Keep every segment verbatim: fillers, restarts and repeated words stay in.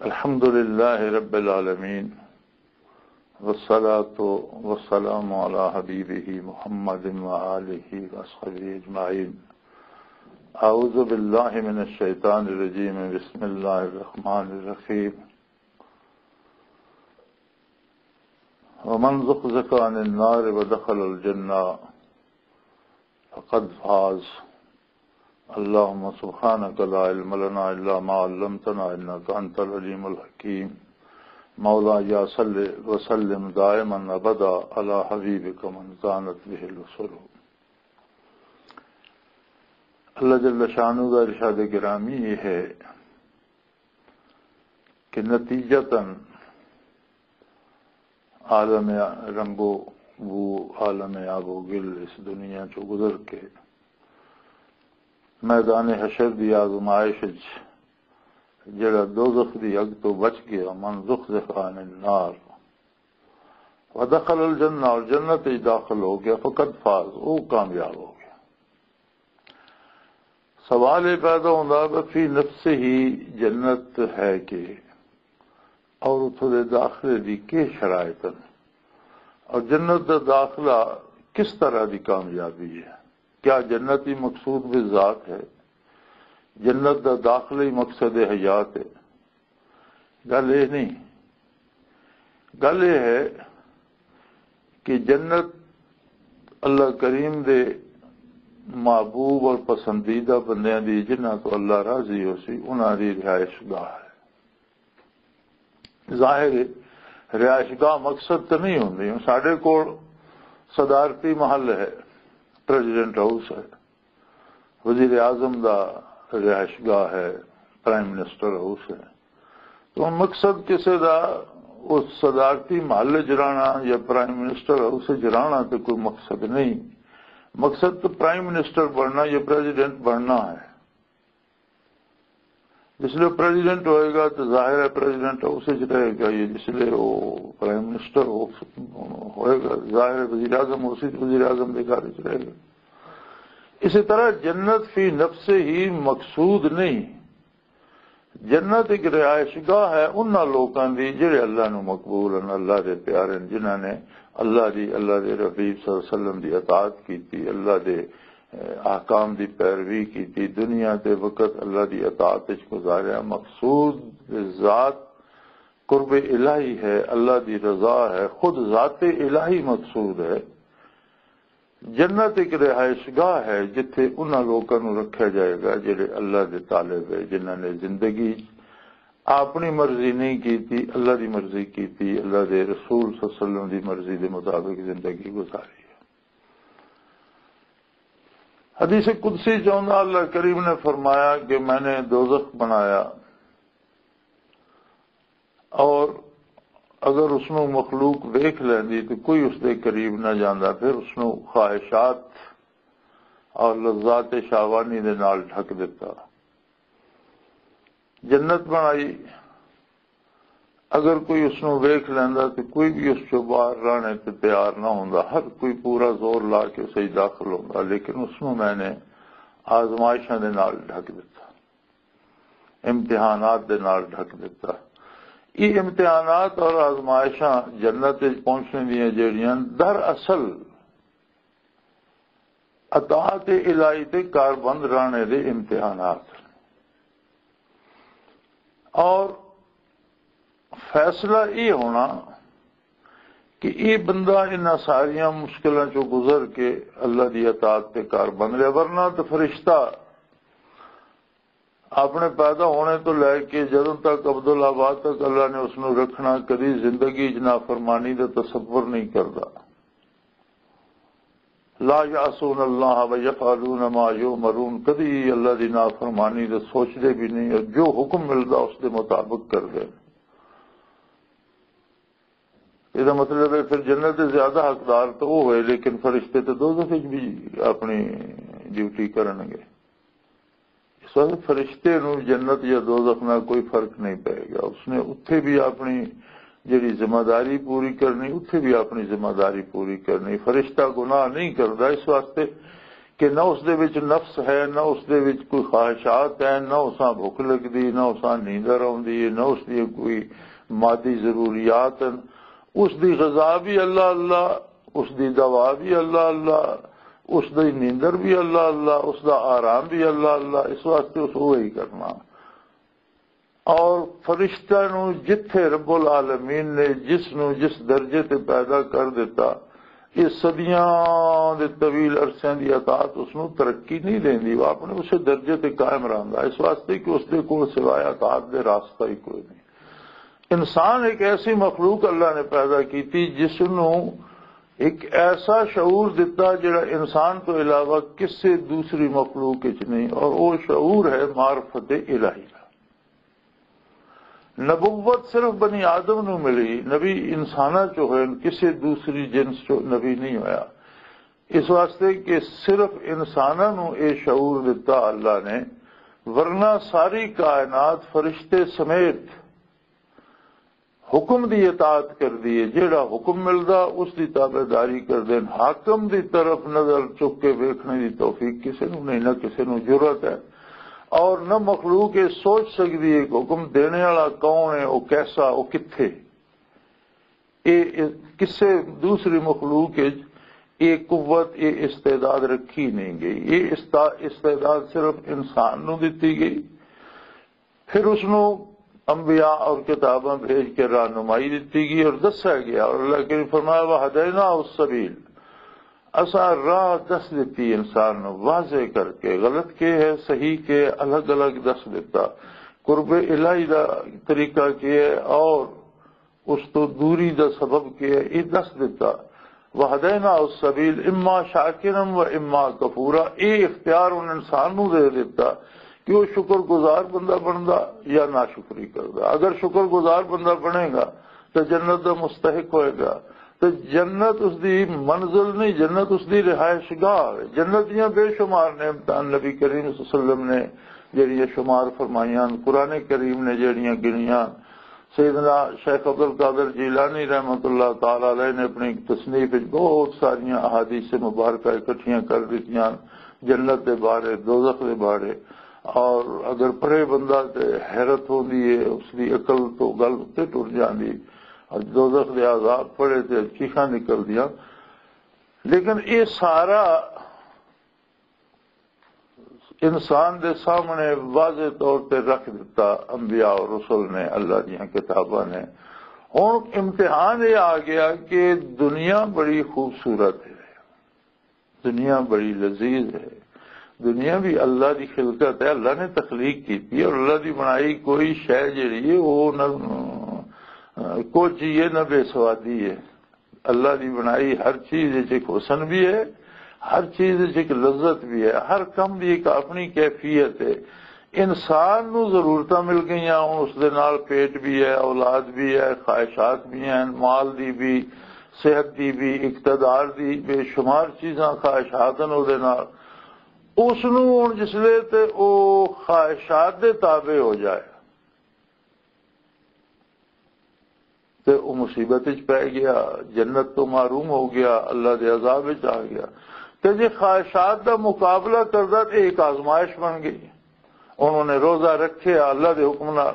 الحمد لله رب العالمين، والصلاة والسلام على حبيبه محمد وآله وصحبه أجمعين. أعوذ بالله من الشيطان الرجيم. بسم الله الرحمن الرحيم. ومن زحزح عن النار ودخل الجنة فقد فاز. اللهم سبحانك لا علم لنا إلا ما علمتنا إنك أنت العليم الحكيم. مولاي صل وسلم دائما أبدا على حبيبك من زانت به الوصول. اللہ جل شانہ دا ارشاد گرامی یہ ہے کہ نتیجتاً عالم رنگ و بو، عالم آب و گل، اس دنیا چوں گزر کے میدان حشر دی آزمائش وچ جڑا دوزخ دی اگ تو بچ گیا، من زحزح عن النار ودخل الجنہ، اور جنت وچ داخل ہو گیا، فقد فاز، وہ کامیاب ہو گیا۔ سوال یہ پیدا ہوتا کہ فی نفس ہی جنت ہے کہ، اور اتھوں دے داخلے دی کی شرائط ہیں، اور جنت دا داخلہ کس طرح دی کامیابی ہے؟ کیا جنت ہی مقصود بذات ہے؟ جنت دا داخلہ ہی مقصد حیات ہے؟ گل یہ نہیں۔ گل یہ ہے کہ جنت اللہ کریم دے محبوب اور پسندیدہ بندیاں دی، جنہاں تو اللہ راضی ہو سی، انہاں دی رہائش گاہ ہے۔ ظاہر ہے، رہائش گاہ مقصد تو نہیں ہوندی۔ ہن ساڈے کول صدارتی محل ہے، پریزیڈنٹ ہاؤس ہے، وزیر اعظم دا رہائش گاہ ہے، پرائم منسٹر ہاؤس ہے۔ تو ہن مقصد کسے دا اس صدارتی محل وچ رہنا یا پرائم منسٹر ہاؤس وچ رہنا تے کوئی مقصد نہیں۔ مقصد تو پرائم منسٹر بننا یا پریزیڈنٹ بننا ہے۔ جس لئے پریزیڈنٹ ہوئے گا تو ظاہر ہے پریزیڈنٹ ہاؤس وچ رہے گا، یا جس لئے وہ پرائم منسٹر ہو، ہوئے گا، ظاہر ہے وزیر اعظم ہو سی تو وزیر اعظم دے گھر وچ رہے گا۔ اسی طرح جنت فی نفس ہی مقصود نہیں۔ جنت ایک رہائش گاہ ہے انہاں لوکاں دی جڑے اللہ نو مقبول ہیں، اللہ دے پیارے ہیں، جنہاں نے اللہ دی، اللہ دے رفیق صلی اللہ علیہ وسلم دی اطاعت کیتی، اللہ دے، اے، احکام دی پیروی کیتی، دنیا دے وقت اللہ دی اطاعت وچ گزاریا۔ مقصود ذات قرب الہی ہے، اللہ دی رضا ہے، خود ذات الہی مقصود ہے۔ جنت ایک رہائش گاہ ہے جتھے انہاں لوکاں نوں رکھیا جائے گا جڑے اللہ دے طالب ہے، جنہاں نے زندگی اپنی مرضی نہیں کیتی، اللہ دی مرضی کیتی، اللہ دے رسول صلی اللہ علیہ وسلم دی مرضی دے مطابق زندگی گزاری ہے۔ حدیث قدسی چاہتا اللہ کریم نے فرمایا کہ میں نے دوزخ بنایا اور اگر اس نوں مخلوق ویکھ لیندی تو کوئی اس دے قریب نہ جاندا، پھر اس نوں خواہشات اور لذات شاہوانی دے نال ڈھک دتا۔ جنت بنائی، اگر کوئی اس نوں ویکھ لیندا تو کوئی بھی اس چوں باہر رہنے تے تیار نہ ہوندا، ہر کوئی پورا زور لا کے اس وچ داخل ہوندا، لیکن اس نوں میں نے آزمائشاں دے نال ڈھک دتا، امتحانات دے نال ڈھک دتا۔ یہ امتحانات اور آزمائشاں جنت وچ پہنچنے دیاں جیڑیاں دراصل اطاعت الہی تے کاربند رانے دے امتحانات۔ اور فیصلہ یہ ہونا کہ یہ بندہ انہاں ساریاں مشکلاں چوں گزر کے اللہ دی اطاعت تے کاربند لیا، ورنہ تو فرشتہ اپنے پیدا ہونے تو لے کے جدوں تک عبدالآباد تک اللہ نے اس نوں رکھنا، کدی زندگی وچ نافرمانی دا تصور نہیں کردا۔ لا یعصون اللہ و یفعلون ما یؤمرون، کدی اللہ دی نافرمانی دے سوچدے بھی نہیں اور جو حکم ملدا اس دے مطابق کردے۔ یہ مطلب ہے پھر جنت دے زیادہ حقدار تو وہ ہوئے، لیکن فرشتے تو دوزخ وچ بھی اپنی ڈیوٹی کرن گے۔ اس واسطے فرشتے نوں جنت یا دوزخ نال کوئی فرق نہیں پے گا۔ اس نے اتھے بھی اپنی جڑی ذمہ داری پوری کرنی، اتھے بھی اپنی ذمہ داری پوری کرنی۔ فرشتہ گناہ نہیں کردا، اس واسطے کہ نہ اس دے وچ نفس ہے، نہ اس دے وچ کوئی خواہشات ہیں، نہ اساں بھوک لگدی، نہ اساں نیندر آوندی ہے، نہ اس دی کوئی مادی ضروریات ہیں۔ اس دی غذا بھی اللہ اللہ، اس دی دوا بھی اللہ اللہ، اس دی نیندر بھی اللہ اللہ، اس دا آرام بھی اللہ اللہ۔ اس واسطے اس وہی کرنا۔ اور فرشتہ نو جتھے رب العالمین نے جس نو جس درجے تے پیدا کر دیتا، یہ صدیاں دے طویل عرصیاں دی اطاعت اس نو ترقی نہیں دیندی، وہ اپنے اسے درجے تے قائم رہندا، اس واسطے کہ اس دے کول سوائے اطاعت دے راستہ ہی کوئی نہیں۔ انسان ایک ایسی مخلوق اللہ نے پیدا کیتی جس نو ایک ایسا شعور دتا جڑا انسان تو علاوہ کسے دوسری مخلوق وچ نہیں، اور وہ شعور ہے معرفت الہی دا۔ نبوت صرف بنی آدم نو ملی، نبی انساناں چو ہوئے، کسی دوسری جنس چو نبی نہیں ہویا۔ اس واسطے کہ صرف انساناں نو اے شعور دتا اللہ نے، ورنہ ساری کائنات فرشتے سمیت حکم دی اطاعت کر دیے۔ جیڑا حکم ملدا، اس دی تابع داری کر دین۔ حاکم دی طرف نظر چک کے ویکھنے دی توفیق کسے نو نہیں، نہ کسے نو جرأت ہے، اور نہ مخلوق یہ سوچ سکدی ہے کہ حکم دینے والا کون ہے، وہ کیسا، وہ کتھے۔ یہ کسے دوسری مخلوق وچ یہ قوت، یہ استعداد رکھی نہیں گئی۔ یہ استا-، استعداد صرف انسان نو دتی گئی۔ پھر اس نو انبیاء اور کتاباں بھیج کے رہنمائی دتی گئی اور دسیا گیا، اور اللہ کریم فرمایا، "وہدینا السبیل"، اساں راہ دس دتی انسان نو واضح کر کے، غلط کے ہے، صحیح کے، الگ الگ دس دتا۔ قرب الہی دا طریقہ کے ہے اور اس تو دوری دا سبب کے ہے، یہ دس دتا۔ وہدینا السبیل اما شاکرا و اما کفورا، یہ اختیار ان انسان نو دے دتا کہ وہ شکر گزار بندہ بندا یا ناشکری کردا۔ اگر شکر گزار بندہ بنے گا تو جنت دا مستحق ہوئے گا۔ تو جنت اس دی منزل نہیں، جنت اس دی رہائش گاہ ہے۔ جنت دیاں بے شمار نعمتاں نبی کریم صلی اللہ علیہ وسلم نے جڑیاں شمار فرمائیاں، قرآن کریم نے جڑیاں گنیاں، سیدنا شیخ عبد القادر جیلانی رحمۃ اللہ تعالی علیہ نے اپنی تصنیف وچ بہت ساریاں احادیث مبارکہ اکٹھیاں کر دتیاں، جنت دے بارے، دوزخ دے بارے۔ اور اگر پڑھے بندہ تے حیرت ہوندی ہے، اس دی عقل تو گل تے ٹر جاندی، اور دوزخ دے عذاب پڑھے تے چیخاں نکل دیاں۔ لیکن یہ سارا انسان دے سامنے واضح طور تے رکھ دتا انبیاء اور رسل نے، اللہ دیاں کتاباں نے۔ ہن امتحان یہ آ گیا کہ دنیا بڑی خوبصورت ہے، دنیا بڑی لذیذ ہے، دنیا بھی اللہ دی خلقت ہے، اللہ نے تخلیق کیتی ہے، اور اللہ دی بنائی کوئی شے جڑی ہے، وہ نہ کچھ ہی ہے، نہ بے سوادی ہے۔ اللہ دی بنائی ہر چیز وچ ایک حسن بھی ہے، ہر چیز وچ ایک لذت بھی ہے، ہر کم دی ایک اپنی کیفیت ہے۔ انسان نو ضرورتاں مل گئیاں، ہن اس دے نال پیٹ بھی ہے، اولاد بھی ہے، خواہشات بھی ہیں، مال دی بھی، صحت دی بھی، اقتدار دی، بے شمار چیزاں خواہشات ہیں اس دے نال۔ اس نو ہن جس لے تے او خواہشات دے تابع ہو جائے، تے او مصیبت وچ پے گیا، جنت تو محروم ہو گیا، اللہ دے عذاب وچ آ گیا۔ تے جے خواہشات دا مقابلہ کردا تے ایک آزمائش بن گئی۔ انہوں نے روزہ رکھیا، اللہ دے حکم نال۔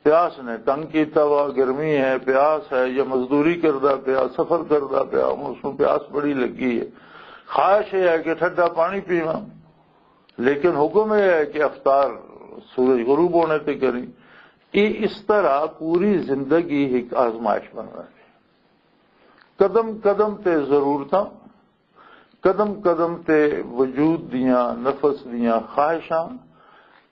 پیاس نے تنگ کیتا وا، گرمی ہے، پیاس ہے، یا مزدوری کردا پیا، سفر کردا پیا، ہن اس نوں پیاس بڑی لگی ہے۔ خواہش یہ ہے کہ ٹھڈا پانی پیواں، لیکن حکم یہ ہے کہ افطار سورج غروب ہونے تے کریں۔ یہ اس طرح پوری زندگی ایک آزمائش بن رہی ہے۔ قدم قدم تے ضرورتاں، قدم قدم تے وجود دیاں، نفس دیاں خواہشاں،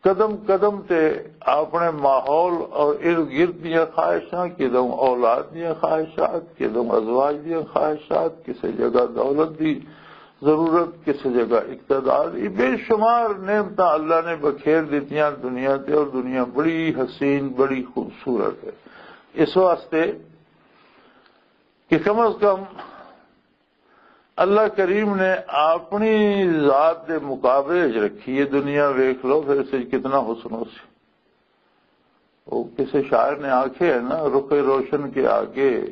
قدم قدم تے اپنے ماحول اور ارد گرد دیاں خواہشاں، کدوں اولاد دیاں خواہشات، کدوں ازواج دیاں خواہشات، کسے جگہ دولت دی ضرورت، کسے جگہ اقتدار، یہ بے شمار نعمتاں اللہ نے بکھیر دتیاں دنیا تے، اور دنیا بڑی حسین، بڑی خوبصورت ہے۔ اس واسطے کہ کم از کم اللہ کریم نے اپنی ذات دے مقابلے وچ رکھی ہے۔ دنیا ویکھ لو، پھر اس وچ کتنا حسن ہو سی۔ وہ کسی شاعر نے آکھے ہے نا، "رخ روشن کے آگے،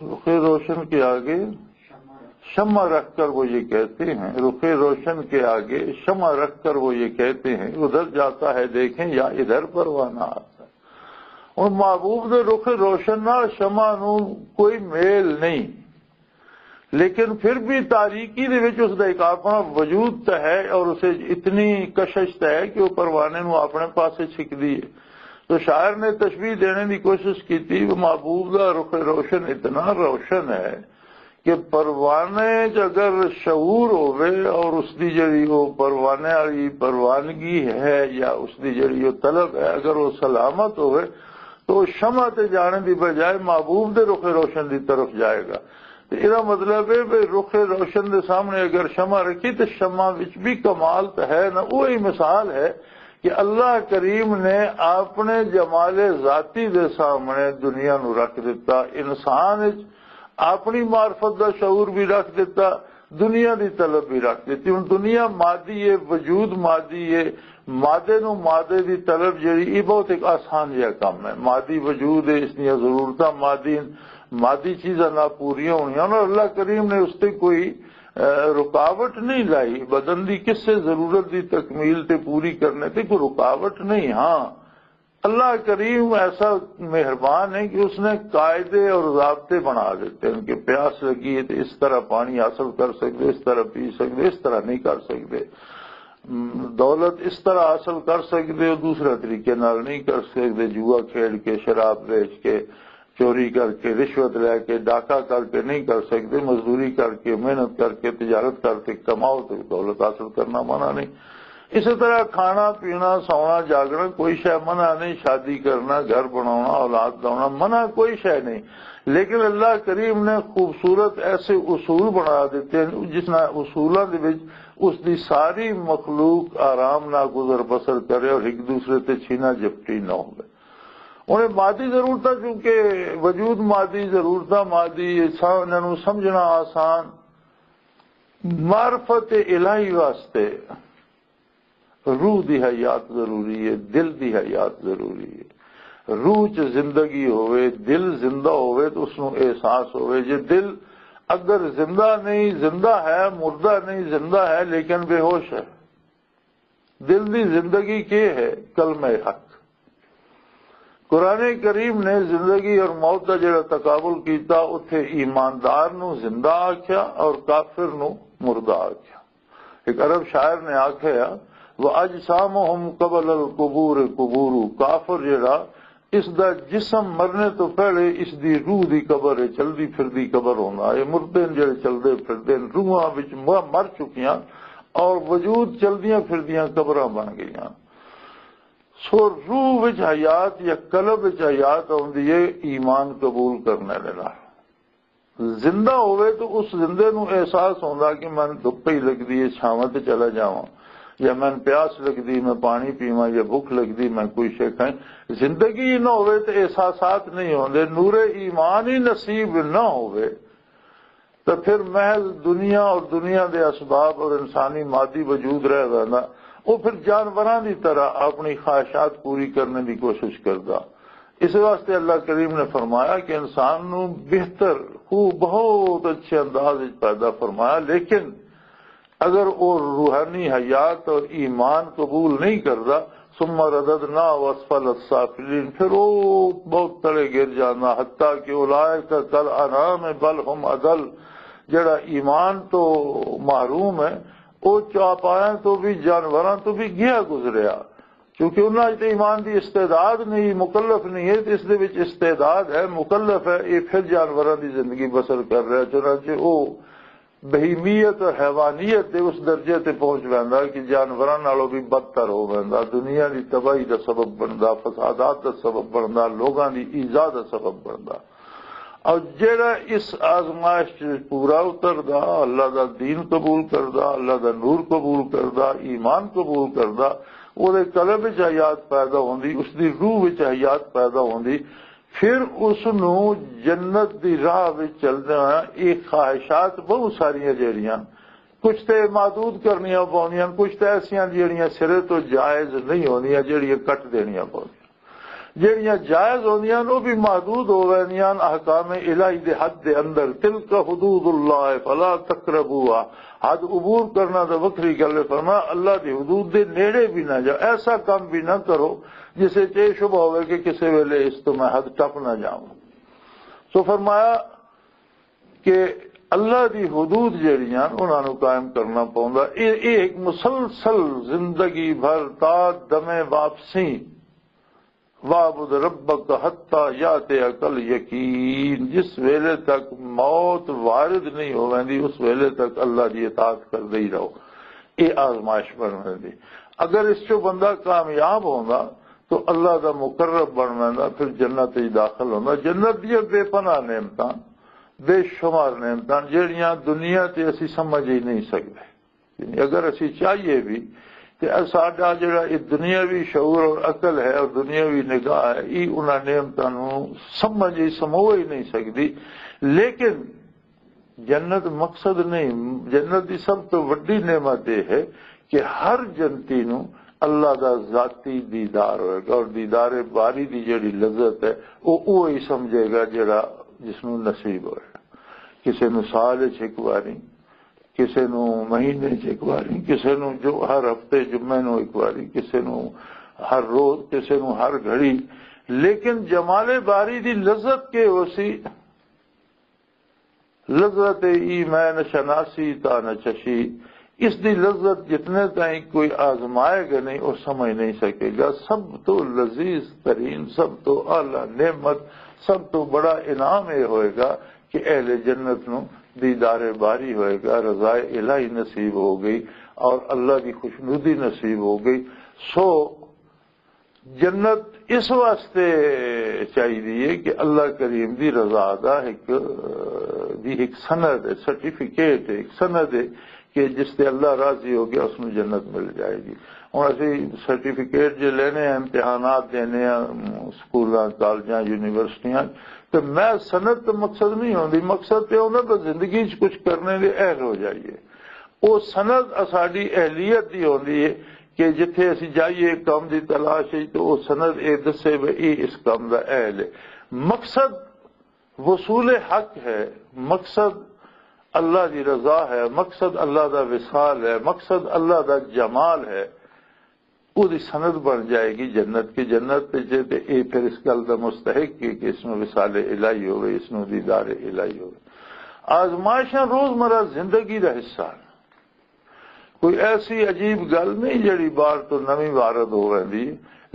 رخ روشن کے آگے شمع رکھ کر وہ یہ کہتے ہیں، رخ روشن کے آگے شمع رکھ کر وہ یہ کہتے ہیں، ادھر جاتا ہے دیکھیں یا ادھر پروانہ آتا ہے۔ اور محبوب دے رخ روشن نال شمع نو کوئی میل نہیں، لیکن پھر بھی تاریکی دے وچ اس دا ایک اپنا وجود تے ہے اور اسے اتنی کشش تے ہے کہ وہ پروانے نو اپنے پاسے چھکدی ہے۔ تو شاعر نے تشبیہ دینے دی کوشش کیتی، وہ محبوب دا رخ روشن اتنا روشن ہے کہ پروانے چ اگر شعور ہووے اور اس دی جڑی وہ پروانے والی پروانگی ہے یا اس دی جڑی وہ طلب ہے، اگر وہ سلامت ہووے تو وہ شمع تے جانے دی بجائے محبوب دے رخ روشن دی طرف جائے گا۔ تے ایہدا مطلب ہے کہ رخ روشن دے سامنے اگر شمع رکھی تے شمع وچ بھی کمال تے ہے نا، وہی مثال ہے کہ اللہ کریم نے اپنے جمال ذاتی دے سامنے دنیا نو رکھ دتا، انسان وچ اپنی معرفت دا شعور بھی رکھ دتا، دنیا دی طلب بھی رکھ دتی۔ ہن دنیا مادی ہے، وجود مادی ہے، مادے نو مادے دی طلب جڑی، یہ بہت ایک آسان جہا کام ہے۔ مادی وجود ہے، اس دیاں ضرورتاں مادی، مادی چیزاں نہ پوریاں ہونیاں، اور اللہ کریم نے اس تے کوئی، اے، رکاوٹ نہیں لائی۔ بدن دی کسے ضرورت دی تکمیل تے پوری کرنے تے کوئی رکاوٹ نہیں۔ ہاں، اللہ کریم ایسا مہربان ہے کہ اس نے قاعدے اور ضابطے بنا دیتے ہیں کہ پیاس لگی ہے تو اس طرح پانی حاصل کر سکتے، اس طرح پی سکتے، اس طرح نہیں کر سکتے۔ م، دولت اس طرح حاصل کر سکتے ہو، دوسرے طریقے نال نہیں کر سکتے، جوا کھیڈ کے، شراب بیچ کے، چوری کر کے، رشوت لے کے، ڈاکہ کر کے نہیں کر سکتے، مزدوری کر کے، محنت کر کے، تجارت کر کے کماؤ تو دولت حاصل کرنا منع نہیں۔ اسی طرح کھانا پینا، سونا جاگنا کوئی شے منع نہیں، شادی کرنا، گھر بناونا، اولاد لاونا منع کوئی شے نہیں۔ لیکن اللہ کریم نے خوبصورت ایسے اصول بنا دیتے ہیں جس نال اصولاں دے وچ اس دی ساری مخلوق آرام نال گزر بسر کرے اور ایک دوسرے تے چھینا جپٹی نہ ہوئے۔ انہیں مادی ضرورتاں، چونکہ وجود مادی، ضرورتاں مادی، انہاں نوں سمجھنا آسان۔ معرفت الہی واسطے روح دی حیات ضروری ہے، دل دی حیات ضروری ہے۔ روح چ زندگی ہوئے، دل زندہ ہوئے تو اس نوں احساس ہوئے۔ جے دل اگر زندہ نہیں، زندہ ہے، مردہ نہیں، زندہ ہے لیکن بے ہوش ہے۔ دل دی زندگی کی ہے؟ کلمہ حق۔ قرآن کریم نے زندگی اور موت دا جڑا تقابل کیتا، اتھے ایماندار نو زندہ آکھیا اور کافر نو مردہ آکھیا۔ ایک عرب شاعر نے آکھیا، "وَأَجْسَامُهُمْ قَبْلَ الْقُبُورِ قُبُورُ"، کافر جڑا، اس دا جسم مرنے تو پہلے اس دی روح دی قبر ہے، چلدی پھردی قبر ہوندا۔ اے مردے نے جڑے چلدے پھردے نے، روحاں وچ م-، مر چکیاں اور وجود چلدیاں پھردیاں قبراں بن گئیاں۔ سو روح وچ حیات یا قلب وچ حیات آندی ہے ایمان قبول کرنے دے نال۔ زندہ ہوئے تو اس زندے نو احساس ہوندا کہ میں دھپ ہی لگدی ہے، چھاواں تے چلا جاواں، یا میں پیاس لگدی، میں پانی پیواں، یا بھوک لگدی، میں کوئی شے کھائیں۔ زندگی ہی نہ ہوئے تو احساسات نہیں ہوندے، نور ایمان ہی نصیب نہ ہوئے تو پھر محض دنیا اور دنیا دے اسباب اور انسانی مادی وجود رہ ویندا۔ وہ پھر جانوراں دی طرح اپنی خواہشات پوری کرنے دی کوشش کردا۔ اس واسطے اللہ کریم نے فرمایا کہ انسان نو بہتر، خوب، بہت اچھے انداز وچ پیدا فرمایا، لیکن اگر وہ روحانی حیات اور ایمان قبول نہیں کردا، ثم رددنا اسفل السافلین، پھر وہ بہت تلے گر جانا، حتیٰ کہ اولئک کل انعام بل ہم اضل، جڑا ایمان تو محروم ہے، وہ چوپایاں تو بھی، جانوراں تو بھی گیا گزریا۔ کیونکہ انہاں وچ تے ایمان دی استعداد نہیں، مکلف نہیں ہے، تے اس دے وچ استعداد ہے، مکلف ہے، یہ پھر جانوراں دی زندگی بسر کر رہا۔ چنانچہ او بہیمیت اور حیوانیت دے اس درجے تے پہنچ ویندا کہ جانوراں نالوں بھی بدتر ہو ویندا، دنیا دی تباہی دا سبب بندا، فسادات دا سبب بندا، لوگاں دی ایذا دا سبب بندا۔ اور جڑا اس آزمائش چ پورا اتردا، اللہ دا دین قبول کردا، اللہ دا نور قبول کردا، ایمان قبول کردا، او دے قلب وچ حیات پیدا ہوندی، اس دی روح وچ حیات پیدا ہوندی، پھر اس نو جنت دی راہ وچ چلدے ہوئے یہ خواہشات بہت ساریاں جڑیاں کچھ تے محدود کرنیاں پونیاں، کچھ تے ایسیاں جڑیاں سرے تو جائز نہیں ہوندیاں، جڑیاں کٹ دینیاں پونیاں۔ جہڑیاں جائز ہوندیاں نے، وہ بھی محدود ہو ویندیاں احکام الہی دے حد دے اندر۔ تلک حدود اللہ فلا تقربوها، حد عبور کرنا تو وکری گل ہے۔ فرمایا، اللہ دی حدود دے نیڑے بھی نہ جاؤ، ایسا کام بھی نہ کرو جسے چے شبہ ہوئے کہ کسے ویلے اس تو میں حد ٹپ نہ جاؤں۔ سو فرمایا کہ اللہ دی حدود جہڑیاں انہاں نوں قائم کرنا پوندا۔ اے اے ایک مسلسل زندگی بھر تا دمے واپسی، وَاعْبُدْ رَبَّكَ حَتَّى يَأْتِيَكَ الْيَقِينُ، جس ویلے تک موت وارد نہیں ہوویندی، اس ویلے تک اللہ دی اطاعت کردے ہی رہو۔ اے آزمائش بن ویندی۔ اگر اس چوں بندہ کامیاب ہوندا تو اللہ دا مقرب بن ویندا، پھر جنت وچ داخل ہوندا۔ جنت دیاں بے پناہ نعمتاں، بے شمار نعمتاں، جہڑیاں دنیا تے اسی سمجھ ہی نہیں سکدے۔ یعنی اگر اسی چاہیے بھی، تے ساڈا جڑا یہ دنیاوی شعور اور عقل ہے اور دنیاوی نگاہ ہے، یہ انہاں نعمتاں نوں سمجھ ہی، سمو ہی نہیں سکدی۔ لیکن جنت مقصد نہیں۔ جنت دی سب تو وڈی نعمت یہ ہے کہ ہر جنتی نوں اللہ دا ذاتی دیدار ہوئے گا، اور دیدار باری دی جڑی لذت ہے، وہ وہی سمجھے گا جڑا، جس نوں نصیب ہوئے۔ کسے نوں سال وچ ایک واری، کسے نوں مہینے چ ایک واری، کسے نوں جو ہر ہفتے جمعے نوں ایک واری، کسے نوں ہر روز، کسے نوں ہر گھڑی۔ لیکن جمال باری دی لذت کے ہو سی؟ لذت ای میں نہ شناسی تا نہ چشی۔ اس دی لذت جتنے تائیں کوئی آزمائے گا نہیں، وہ سمجھ نہیں سکے گا۔ سب تو لذیذ ترین، سب تو اعلیٰ نعمت، سب تو بڑا انعام یہ ہوئے گا کہ اہل جنت نو دیدار باری ہوئے گا، رضا الہی نصیب ہو گئی اور اللہ کی خوشنودی نصیب ہو گئی۔ سو جنت اس واسطے چاہیے کہ اللہ کریم دی رضا دا ایک، دی ایک سند ہے، سرٹیفکیٹ ہے، ایک سند ہے کہ جس تے اللہ راضی ہو گیا، اس نو جنت مل جائے گی۔ ہن اسی سرٹیفکیٹ جے لینے ہیں، امتحانات دینے ہیں، سکولاں، کالجاں، یونیورسٹیاں، تے میں سند تو مقصد نہیں ہوندی۔ مقصد تے ہوندا بس زندگی چ کچھ کرنے دے اہل ہو جائیے۔ او سند اساڈی اہلیت دی ہوندی ہے کہ جتھے اسی جائیے کام دی تلاش ہے، تو او سند اے دسے بھی اے اس کام دا اہل ہے۔ مقصد وصول حق ہے، مقصد اللہ دی رضا ہے، مقصد اللہ دا وصال ہے، مقصد اللہ دا جمال ہے۔ او دی سند بن جائے گی جنت کے۔ جنت تے جے تے اے پھر اس گل دا مستحق ہے کہ اس نو وصال الہی ہوئے، اس نو دیدار الہی ہوئے۔ آزمائشاں روزمرہ زندگی دا حصہ ہیں۔ کوئی ایسی عجیب گل نہیں جڑی باہر تو نویں وارد ہو ویندی۔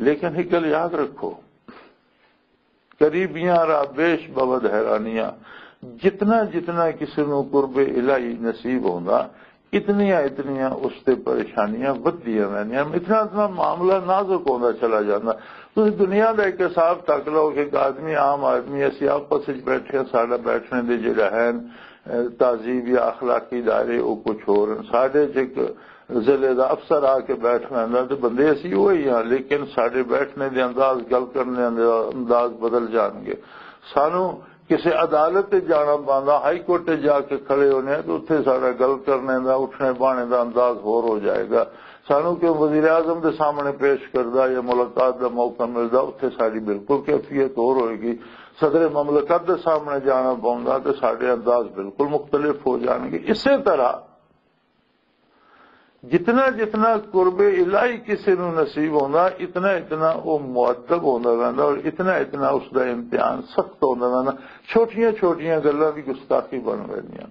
لیکن ایک گل یاد رکھو، قریبیاں را بیش بود حیرانیاں۔ جتنا جتنا کسی نو قرب الہی نصیب ہوندا، اتنیاں اتنیاں اس تے پریشانیاں ودھدیاں ویندیاں، اتنا اتنا معاملہ نازک ہوندا چلا جاندا۔ تسی دنیا دا ایک حساب تک لو کہ ایک آدمی، عام آدمی، اسی آپس وچ بیٹھے ہاں، ساڈا بیٹھنے دے جڑا ہے، اے، تہذیب یا اخلاقی دائرے، او کچھ ہور ہن۔ ساڈے چ ایک ضلع دا افسر آ کے بیٹھ ویندا تے بندے اسی وہی ہاں، لیکن ساڈے بیٹھنے دے انداز، گل کرنے دے انداز بدل جان گے۔ سانو کسے عدالت تے جانا پاندا، ہائی کورٹ تے جا کے کھڑے ہونے ہیں، تو اتھے ساڈا گل کرنے دا، اٹھنے بانے دا انداز ہور ہو جائے گا۔ سانو کہ وزیر اعظم دے سامنے پیش کردا یا ملاقات دا موقع ملدا، اتھے ساڈی بالکل کیفیت ہور ہوئے گی۔ صدر مملکت دے سامنے جانا پوندا تے ساڈے انداز بالکل مختلف ہو جان گے۔ اسی طرح جتنا جتنا قرب الہی کسی نو نصیب ہوندا، اتنا اتنا وہ مؤدب ہوندا رہندا اور اتنا اتنا اس دا امتحان سخت ہوندا رہندا۔ چھوٹیاں چھوٹیاں گلاں دی گستاخی بن ویندیاں۔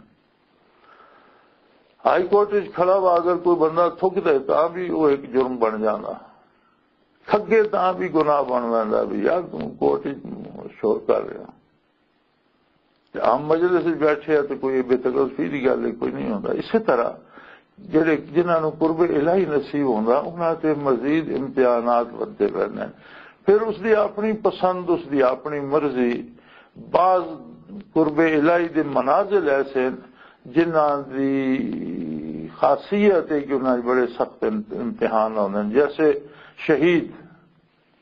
ہائی کورٹ وچ کھڑا وا اگر کوئی بندہ تھک دے تاں بھی وہ ایک جرم بن جاندا، کھگے تاں بھی گناہ بن ویندا بھی یار تم کورٹ وچ شور کر رہے ہو۔ تے عام مجلس وچ بیٹھے آ تے کوئی بے تکلفی دی گل ہے، کوئی نہیں ہوندا۔ اسی طرح جڑے، جنہاں نوں قرب الہی نصیب ہوندا، انہاں تے مزید امتحانات ودھدے رہندے نے۔ پھر اس دی اپنی پسند، اس دی اپنی مرضی۔ بعض قرب الہی دے منازل ایسے ہیں جنہاں دی خاصیت ہے کہ انہاں 'چ بڑے سخت ام-، امتحان ہوندے ہیں، جیسے شہید۔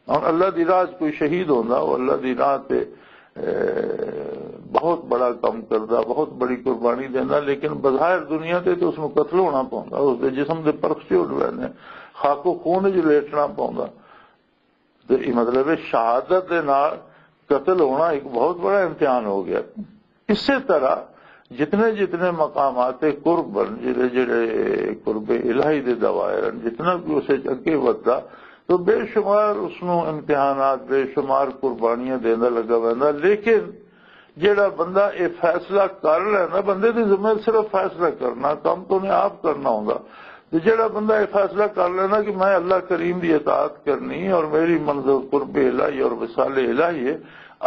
ہن اللہ دی راہ 'چ کوئی شہید ہوندا، وہ اللہ دی راہ تے، اے، بہت بڑا کم کردا، بہت بڑی قربانی دیندا، لیکن بظاہر دنیا تے تے اس نوں قتل ہونا پوندا، اس دے جسم دے پرخ چ اڈ ویندے، خاک و خون وچ لیٹنا پوندا۔ تے یہ مطلب ہے، شہادت دے نال قتل ہونا ایک بہت بڑا امتحان ہو گیا۔ اسی طرح جتنے جتنے مقامات قرب ہیں، جڑے جڑے قرب الہی دے دوائر ہیں، جتنا بھی اسے اگے وددا، تو بے شمار اس نوں امتحانات، بے شمار قربانیاں دیندا لگا ویندا۔ لیکن جڑا بندہ یہ فیصلہ کر لینا، بندے دے ذمہ صرف فیصلہ کرنا، کم تو نے آپ کرنا ہوندا۔ تے جڑا بندہ یہ فیصلہ کر لینا کہ میں اللہ کریم دی اطاعت کرنی اور میری منزل قرب الہی اور وصال الہی ہے،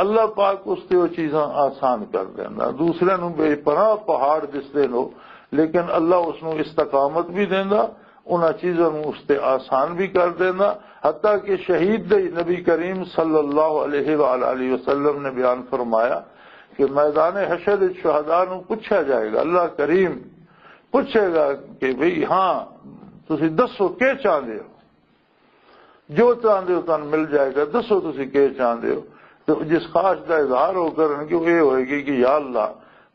اللہ پاک اس تے وہ چیزاں آسان کر دینا۔ دوسرے نوں بے پناہ پہاڑ دسدے نو، لیکن اللہ اس نوں استقامت بھی دیندا، انہاں چیزاں نوں اس تے آسان بھی کر دیندا۔ حتیٰ کہ شہید دے نبی کریم صلی اللہ علیہ وآلہ وسلم نے بیان فرمایا کہ میدان حشر وچ شہداء نوں پوچھا جائے گا، اللہ کریم پوچھے گا کہ بھئی ہاں، تسی دسو کی چاہندے ہو؟ جو چاہندے ہو تانوں مل جائے گا، دسو تسی کی چاہندے ہو؟ تو جس خواہش دا اظہار ہو کرن کہ وہ یہ ہوئے گی کہ یا اللہ،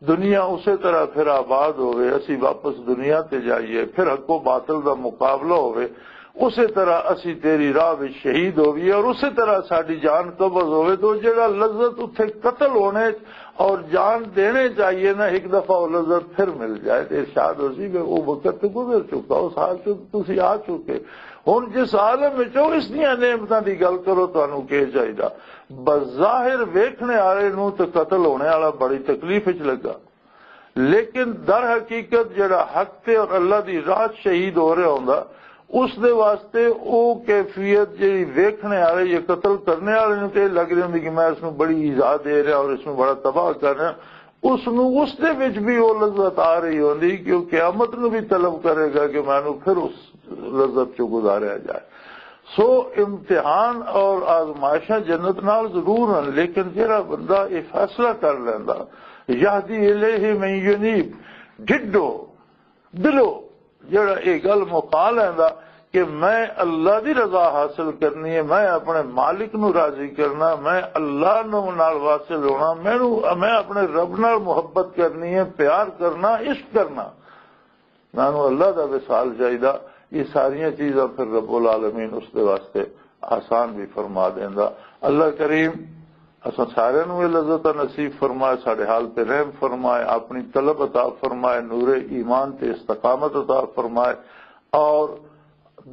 دنیا اسی طرح پھر آباد ہوئے، اسی واپس دنیا تے جائیے، پھر حق و باطل دا مقابلہ ہوئے، اسی طرح اسی تیری راہ وچ شہید ہوئیے اور اسی طرح ساڈی جان قبض ہوئے۔ تو جڑا لذت اتھے قتل ہونے اور جان دینے چاہیے نا، ایک دفعہ وہ لذت پھر مل جائے تو ارشاد ہو سی کہ وہ وقت تو گزر چکا، اس حال سے تو تسی آ چکے۔ ہن جس عالم وچ ہو، اس دیاں نعمتاں دی گل کرو، تانوں کی چاہیدا؟ بظاہر ویکھنے والے نوں تے قتل ہونے والا بڑی تکلیف وچ لگا، لیکن در حقیقت جڑا حق تے اور اللہ دی راہ شہید ہو رہا ہوندا، اس دے واسطے او کیفیت جڑی ویکھنے والے یا قتل کرنے والے نوں تے لگ رہی ہوندی کہ میں اس نوں بڑی ایذا دے رہا اور اس نوں بڑا تباہ کر رہا، اس نوں اس دے وچ بھی وہ لذت آ رہی ہوندی کہ وہ قیامت نوں بھی طلب کرے گا کہ مینوں پھر اس لذت چوں گزاریا جائے۔ سو امتحان اور آزمائشاں جنت نال ضرور ہیں، لیکن جڑا بندہ یہ فیصلہ کر لیندا، یہدی الیہ من ینیب، ڈھڈو، دلو، جڑا یہ گل مکا لیندا کہ میں اللہ دی رضا حاصل کرنی ہے، میں اپنے مالک نو راضی کرنا، میں اللہ نو نال واصل ہونا، مینوں، میں اپنے رب نال محبت کرنی ہے، پیار کرنا، عشق کرنا، مینوں اللہ دا وصال چاہیدا۔ یہ ساریاں چیزاں پھر رب العالمین اس دے واسطے آسان بھی فرما دیندا۔ اللہ کریم اساں سارے نوں یہ لذت نصیب فرمائے، ساڈے حال تے رحم فرمائے، اپنی طلب عطا فرمائے، نور ایمان تے استقامت عطا فرمائے، اور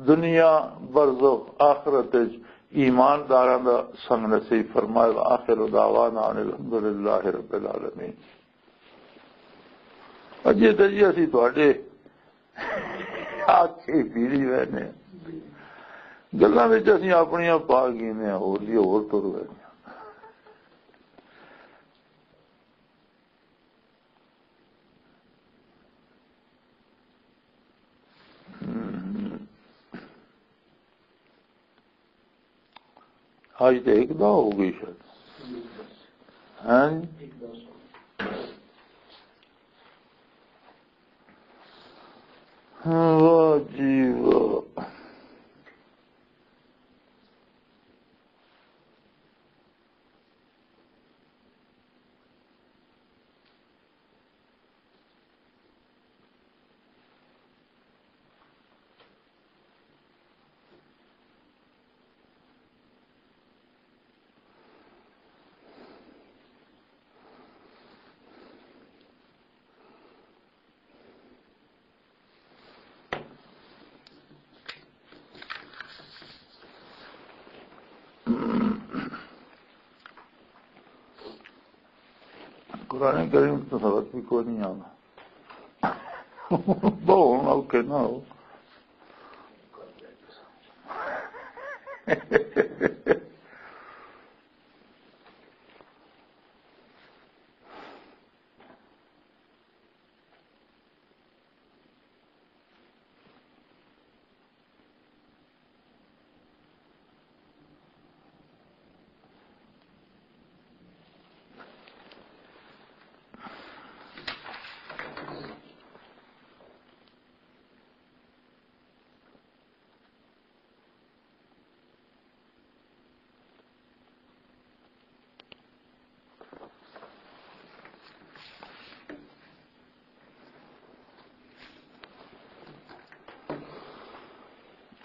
دنیا برزخ آخرت وچ ایمانداراں دا سنگ نصیب فرمائے۔ وآخر دعوانا ان الحمدللہ رب العالمین۔ اجے تے جی اسی تہاڈے آکھے پیڑی وینے، گلاں وچ اسی اپنیاں پا گینے، ہور دی ہور تر وینے۔ آج تو ایک دو ہو گئی شاید۔ ہاں جی؟ واہ جی واہ۔ قرآن کریم تو سبق بھی کوئی نہیں آنا۔ بہت اوکے نہ ہو۔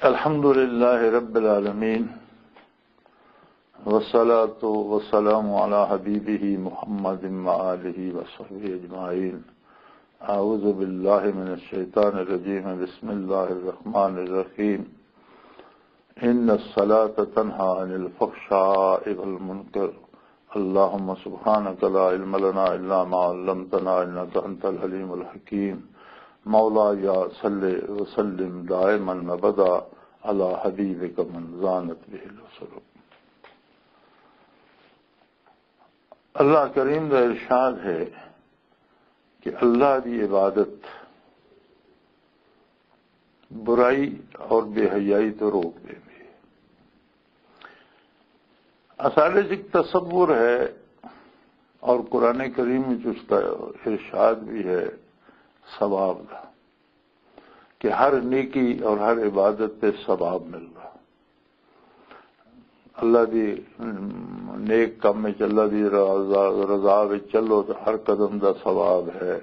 الحمد لله رب العالمين، والصلاة والسلام على حبيبه محمد وآله وصحبه أجمعين. أعوذ بالله من الشيطان الرجيم. بسم الله الرحمن الرحيم. إن الصلاة تنهى عن الفحشاء والمنكر. اللهم سبحانك لا علم لنا إلا ما علمتنا إنك أنت العليم الحكيم. مولاي صل وسلم دائما أبدا على حبيبك من زانت به الوصول. اللہ کریم دا ارشاد ہے کہ اللہ دی عبادت برائی اور بے حیائی تو روک دے دی۔ اساڈے چ ایک تصور ہے اور قرآن کریم وچ اس کا ارشاد بھی ہے ثواب دا، کہ ہر نیکی اور ہر عبادت تے ثواب ملدا۔ اللہ دی، ام، نیک کم وچ، اللہ دی رضا، رضا وچ چلو تے ہر قدم دا ثواب ہے،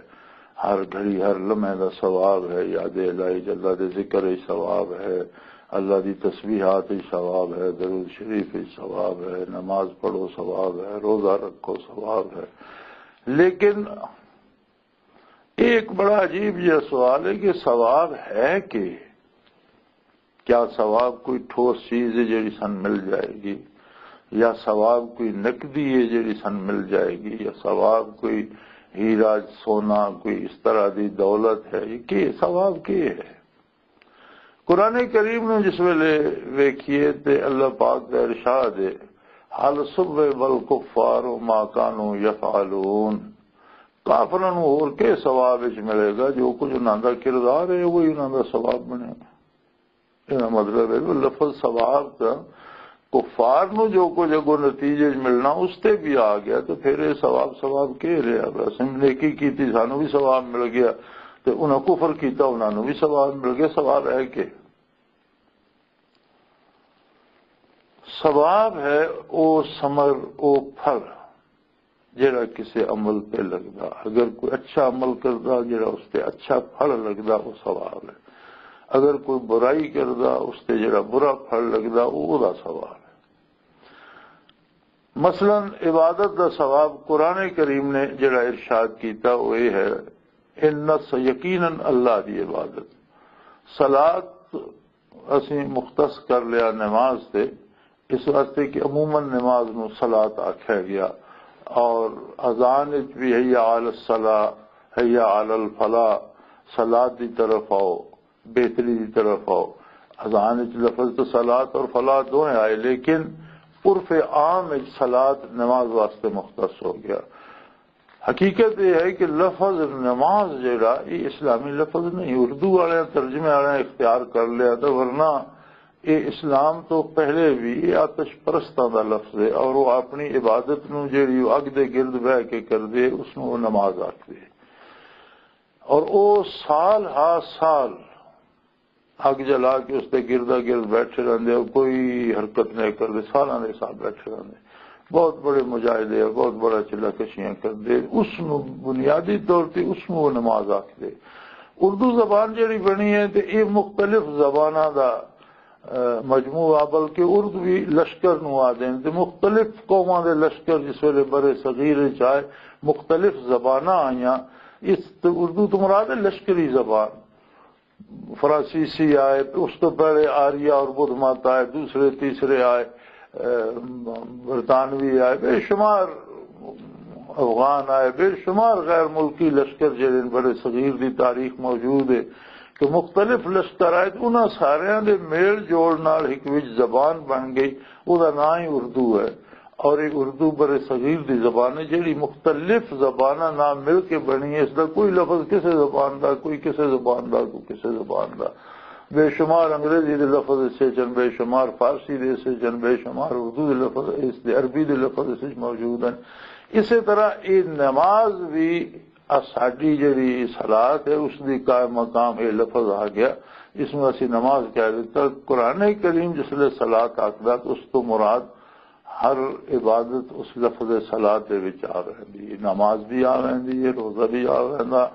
ہر گھڑی، ہر لمحے دا ثواب ہے، یاد الہی وچ، اللہ دے ذکر وچ ثواب ہے، اللہ دی تسبیحات وچ ثواب ہے، درود شریف وچ ثواب ہے، نماز پڑھو ثواب ہے، روزہ رکھو ثواب ہے۔ لیکن ایک بڑا عجیب یہ سوال ہے کہ ثواب ہے کہ کیا ثواب کوئی ٹھوس چیز ہے جڑی سن مل جائے گی، یا ثواب کوئی نقدی ہے جڑی سن مل جائے گی، یا ثواب کوئی ہیرا سونا، کوئی اس طرح دی دولت ہے؟ یہ کی ثواب کی ہے؟ قرآن کریم نو جس ویلے ویکھیے تے اللہ پاک دا ارشاد ہے، "حل ثوب الکفار ما کانوا یفعلون۔" کافراں نوں ہور کے ثواب وچ ملے گا؟ جو کچھ انہاں دا کردار ہے، وہی انہاں دا ثواب بنے گا۔ یہ مطلب ہے کہ لفظ ثواب دا کفار نوں جو کچھ اگوں نتیجے وچ ملنا، اس تے بھی آ گیا، تو پھر یہ ثواب، ثواب کے رہا؟ بس ہم نیکی کیتی، سانوں بھی ثواب مل گیا، تے انہاں کفر کیتا، انہاں نوں بھی ثواب مل گیا۔ ثواب ہے کہ ثواب ہے او ثمر، او پھل، جڑا کسے عمل تے لگدا۔ اگر کوئی اچھا عمل کردا، جڑا اس تے اچھا پھل لگدا، او ثواب ہے۔ اگر کوئی برائی کردا، اس تے جڑا برا پھل لگدا، او اودا ثواب ہے۔ مثلاً، عبادت دا ثواب قرآن کریم نے جڑا ارشاد کیتا، وہ یہ ہے، "ان الص-، یقیناً اللہ دی عبادت۔" صلاۃ اسیں مختص کر لیا نماز تے، اس واسطے کہ عموماً نماز نو صلاۃ آکھیا گیا، اور اذان وچ بھی "حی علی الصلاۃ، حی علی الفلاح"، صلاۃ دی طرف آؤ، بہتری دی طرف آؤ۔ اذان وچ لفظ تو صلاۃ اور فلاح دوئیں آئے، لیکن عرف عام وچ صلاۃ نماز واسطے مختص ہو گیا۔ حقیقت یہ ہے کہ لفظ نماز جڑا، یہ اسلامی لفظ نہیں، اردو والے ترجمے والے اختیار کر لیا، تو ورنہ یہ اسلام تو پہلے بھی یہ آتش پرستاں دا لفظ ہے، اور وہ اپنی عبادت نو جڑی وہ اگ دے گرد بہ کے کردے، اس نو وہ نماز آکھدے۔ اور وہ سال ہا سال اگ جلا کے اس تے گردا گرد بیٹھے رہندے، کوئی حرکت نہیں کردے، سالاں دے حساب بیٹھے رہندے۔ بہت بڑے مجاہدے اور بہت بڑا چلا کشیاں کردے۔ اس نو بنیادی طور تے اس نو وہ نماز آکھدے۔ اردو زبان جڑی بنی ہے تے یہ مختلف زباناں دا، اہ، مجموعہ، بلکہ اردو بھی لشکر نو آ دین تے مختلف قوماں دے لشکر جس ویلے بر صغیر وچ آئے، مختلف زباناں آئیاں۔ اس تے اردو تو مراد ہے لشکری زبان۔ فرانسیسی آئے، اس تو پہلے آریا اور بدھ مت آئے، دوسرے تیسرے آئے، اہ، برطانوی آئے، بے شمار افغان آئے، بے شمار غیر ملکی لشکر جڑے نے، بڑے صغیر دی تاریخ موجود ہے کہ مختلف لشکر آئے، تے انہاں ساریاں دے میل جول نال ہک وچ زبان بن گئی، او دا نام ہی اردو ہے۔ اور یہ اردو بر صغیر دی زبان ہے، جڑی مختلف زباناں نال مل کے بنی ہے۔ اس دا کوئی لفظ کسے زبان دا، کوئی کسے زبان دا، کوئی کسے زبان دا۔ بے شمار انگریزی دے لفظ اسے چن، بے شمار فارسی دے اسے چن، بے شمار اردو دے لفظ، اس دے عربی دے لفظ اس وچ موجود ہیں۔ اسی طرح یہ نماز بھی، آ ساڈی جڑی صلاۃ ہے، اس دی قائم مقام یہ لفظ آ گیا، اس میں اسی نماز کہہ دیتا۔ قرآن کریم جس لئے صلاۃ آکھدا تو اس تو مراد ہر عبادت اس لفظ صلاۃ دے وچ آ ویندی ہے، نماز بھی آ ویندی ہے، روزہ بھی آ ویندا۔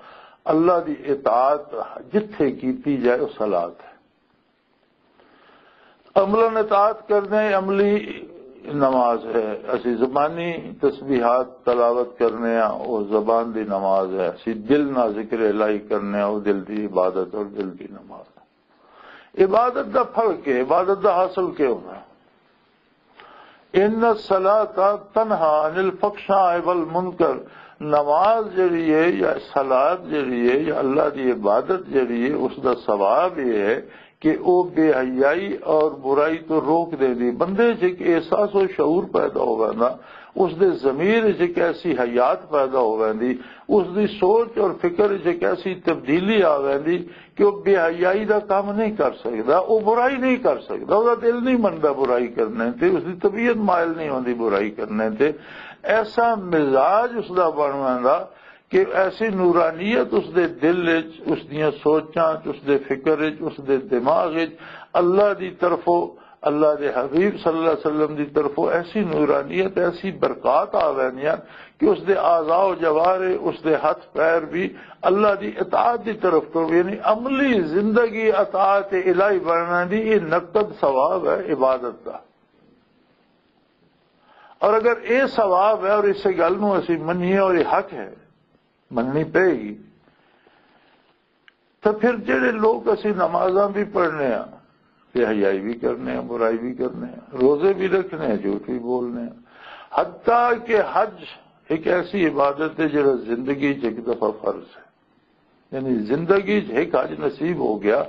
اللہ دی اطاعت جتھے کیتی جائے، وہ صلاۃ ہے۔ عملاً اطاعت کرنے، عملی نماز ہے۔ اسی زبانی تسبیحات تلاوت کرنے ہاں، وہ زبان دی نماز ہے۔ اسی دل نہ ذکر الہی کرنے ہاں، وہ دل دی عبادت اور دل دی نماز ہے۔ عبادت دا پھل کے، عبادت دا حاصل کے ہونا؟ ان الصلاۃ تنہا عن الفحشاء والمنکر۔ نماز جڑی ہے یا صلات جڑی ہے یا اللہ دی عبادت جڑی ہے، اس دا ثواب یہ ہے کہ او بے حیائی اور برائی تو روک دے دی۔ بندے چ ایک احساس و شعور پیدا ہو ویندا، اس دے ضمیر چ ایک ایسی حیات پیدا ہو ویندی، اس دی سوچ اور فکر چ ایک ایسی تبدیلی آ ویندی کہ وہ بے حیائی دا کام نہیں کر سکدا، وہ برائی نہیں کر سکدا، وہ دل نہیں مندا برائی کرنے تے، اس دی طبیعت مائل نہیں ہوندی برائی کرنے تے۔ ایسا مزاج اس دا بن ویندا کہ ایسی نورانیت اس دے دل وچ، اس دیاں سوچاں وچ، اس دے فکر وچ، اس دے دماغ وچ اللہ دی طرفوں، اللہ دے حبیب صلی اللہ علیہ وسلم دی طرفوں ایسی نورانیت، ایسی برکات آ ویندیاں کہ اس دے اعضاء و جوارے، اس دے ہاتھ پیر بھی اللہ دی اطاعت دی طرف ٹر، یعنی عملی زندگی اطاعت الہی بننا دی، یہ نقد ثواب ہے عبادت دا۔ اور اگر یہ ثواب ہے اور اسے گل نو اسی منیے اور یہ حق ہے، مننی پے گی، تو پھر جڑے لوگ اسی نمازاں بھی پڑھنے ہاں، بے حیائی بھی کرنے ہاں، برائی بھی کرنے ہاں، روزے بھی رکھنے ہاں، جھوٹ بھی بولنے ہاں، حتیٰ کہ حج ایک ایسی عبادت ہے جڑا زندگی چ ایک دفعہ فرض ہے۔ یعنی زندگی چ ایک حج نصیب ہو گیا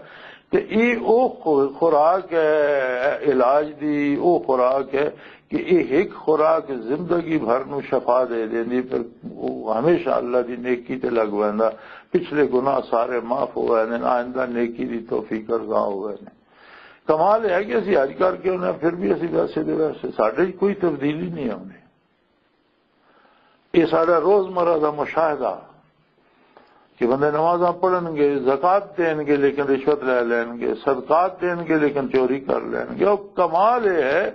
تے یہ او خو- خوراک ہے علاج دی، او خوراک ہے کہ یہ ایک خوراک زندگی بھر نو شفا دے دیندی، پھر وہ ہمیشہ اللہ دی نیکی تے لگ ویندا، پچھلے گناہ سارے معاف ہو ویندے نے، آئندہ نیکی دی توفیق ارزاں ہو ویندے۔ کمال یہ ہے کہ اسی حج کر کے انہیں پھر بھی اسی ویسے دے ویسے، ساڈے کوئی تبدیلی نہیں آؤندی۔ یہ سارا روزمرہ دا مشاہدہ کہ بندے نمازاں پڑھن گے، زکوٰۃ دین گے، لیکن رشوت لے لین گے، صدقات دین گے، لیکن چوری کر لین گے۔ اور کمال یہ ہے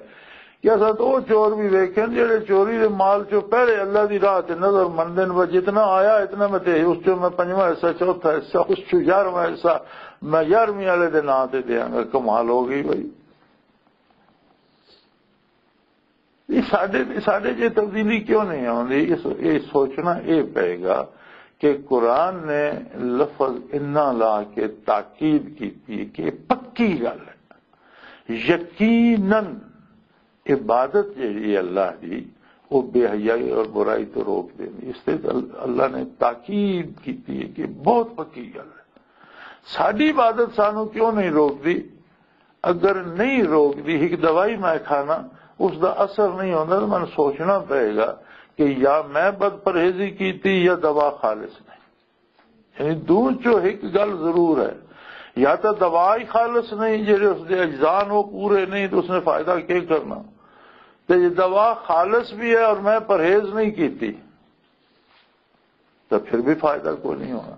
کہ اساں تو وہ چور بھی ویکھن جڑے چوری دے مال چوں پہلے اللہ دی راہ تے نظر مندن، وہ جتنا آیا اتنا میں تے اس چوں میں پنجواں حصہ، چوتھا حصہ، اس چوں یارواں حصہ میں یارہویں والے دے ناں تے دیاں گا۔ کمال ہو گئی بھائی۔ یہ ساڈے ساڈے جے تبدیلی کیوں نہیں آندی؟ اس یہ سوچنا یہ پئے گا کہ قرآن نے لفظ انا لا کے تاکید کیتی ہے کہ یہ پکی گل ہے۔ یقیناً عبادت جہڑی ہے اللہ دی، وہ بے حیائی اور برائی تو روک دینی۔ اس تے ال- اللہ نے تاکید کیتی ہے کہ بہت پکی گل ہے۔ ساڈی عبادت سانو کیوں نہیں روکدی؟ اگر نہیں روکدی، ایک دوائی میں کھانا، اس دا اثر نہیں ہوندا، تو میں سوچنا پئے گا کہ یا میں بد پرہیزی کیتی یا دوا خالص نہیں۔ یعنی دو چو ایک گل ضرور ہے، یا تو دوا ہی خالص نہیں، جڑے اس دے اجزاء نو پورے نہیں، تو اس نے فائدہ کیا کرنا؟ تے یہ دوا خالص بھی ہے اور میں پرہیز نہیں کیتی، تو پھر بھی فائدہ کوئی نہیں ہونا۔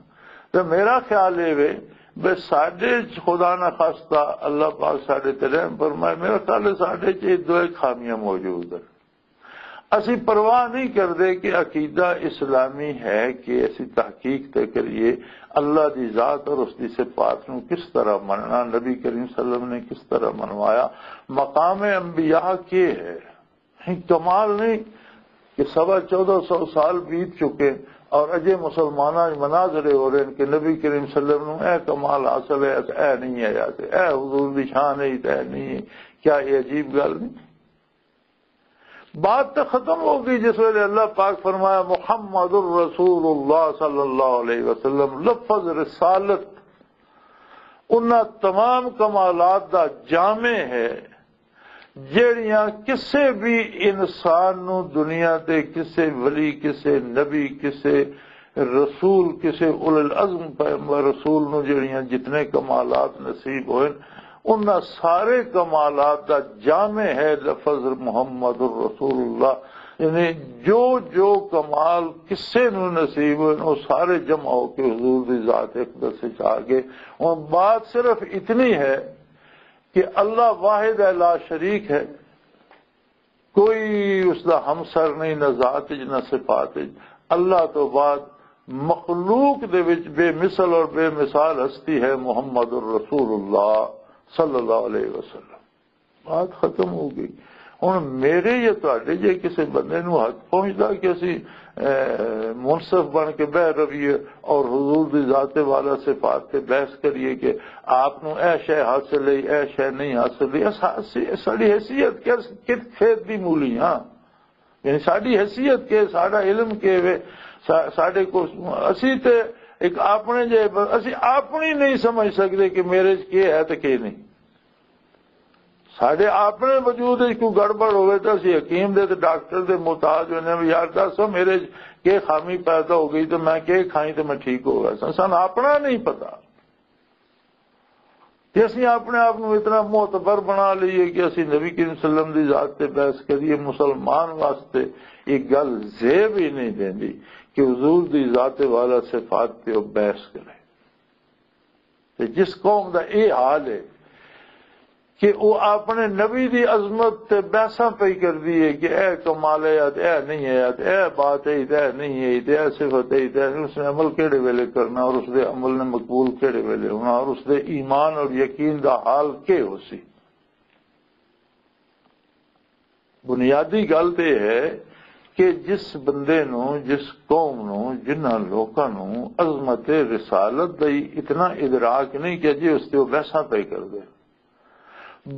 تو میرا خیال یہ وے، بے ساڈے چ خدا نہ خاصتا اللہ پاک ساڈے تے رحم فرمائے، میرا خیال ہے ساڈے چ یہ دو خامیاں موجود ہیں۔ اسی پرواہ نہیں کردے کہ عقیدہ اسلامی ہے کہ اسی تحقیق تے کریے اللہ دی ذات اور اس دی صفات نو کس طرح مننا، نبی کریم صلی اللہ علیہ وسلم نے کس طرح منوایا، مقام انبیاء کے ہے۔ ہی کمال نہیں کہ سوا چودہ سو سال بیت چکے اور اجے مسلماناں وچ مناظرے ہو رہے ہیں کہ نبی کریم صلی اللہ علیہ وسلم نو اے کمال حاصل ہے، اے نہیں ہے، اے حضور دی شان ہے، اے نہیں ہے۔ کیا یہ عجیب گل نہیں؟ بات تو ختم ہو گئی جس ویلے اللہ پاک فرمایا، "محمد الرسول اللہ صلی اللہ علیہ وسلم"، لفظ رسالت انہاں تمام کمالات دا جامع ہے، جیڑیاں کسے بھی انسان نو دنیا تے کسے ولی، کسے نبی، کسے رسول، کسے اول العزم پیغمبر رسول نو جیڑیاں جتنے کمالات نصیب ہوئے، انہاں سارے کمالات دا جامع ہے لفظ محمد الرسول اللہ۔ یعنی جو جو کمال کسے نو نصیب ہوئے، وہ سارے جمع ہو کے حضور دی ذات اقدس وچ آ گئے۔ اور بات صرف اتنی ہے کہ اللہ واحد ہے، لا شریک ہے، کوئی اس دا ہمسر نہیں، نہ ذات وچ نہ صفات وچ۔ اللہ تو بعد مخلوق دے وچ بے مثل اور بے مثال ہستی ہے محمد الرسول اللہ صلی اللہ علیہ وسلم۔ بات ختم ہو گئی۔ ہن میرے یا تہاڈے جے کسے بندے نوں حق پہنچدا کہ اسی، اے، منصف بن کے بہ رویے اور حضور دی ذات والا صفات تے بحث کریے کہ آپ نوں اے شے حاصل ہے، اے شے نہیں حاصل ہے، اس حیثی-، ساڈی حیثیت کس، کس کھیت دی مولی ہاں؟ یعنی ساڈی حیثیت کے، ساڈا علم کے وے، سا-، ساڈے کو، اسی تے ایک اپنے جے، اسی اپنی نہیں سمجھ سکدے کہ میرے چ کی ہے تے کی نہیں۔ ساڈے اپنے وجود وچ کوئی گڑبڑ ہوئے تے اسی حکیم دے تے ڈاکٹر دے محتاج ہونے، "یار دسو میرے چ کی خامی پیدا ہو گئی تے میں کی کھائی تے میں ٹھیک ہو گیا سا۔" سانوں اپنا نہیں پتا۔ تے اسی اپنے آپ نوں اتنا معتبر بنا لئیے کہ اسی نبی کریم صلی اللہ علیہ وسلم دی ذات تے بحث کریے۔ مسلمان واسطے یہ گل زیب ہی نہیں دیندی کہ حضور دی ذات والا صفات تے وہ بحث کرے۔ تے جس قوم دا اے حال ہے کہ وہ اپنے نبی دی عظمت تے بحثاں پئی کردی ہے کہ اے کمال ہے یا تے اے نہیں ہے، یا تے اے بات ہے تے اے نہیں ہے، تے اے صفت ہے تے اے نہیں، اس نے عمل کیڑے ویلے کرنا اور اس دے عمل نے مقبول کیڑے ویلے ہونا اور اس دے ایمان اور یقین دا حال کی ہو سی۔ بنیادی گل تے یہ ہے کہ جس بندے نو، جس قوم نو، جنہاں لوکاں نو عظمت رسالت دا ہی اتنا ادراک نہیں کہ جی اس تے وہ بحثاں پہ کر دے۔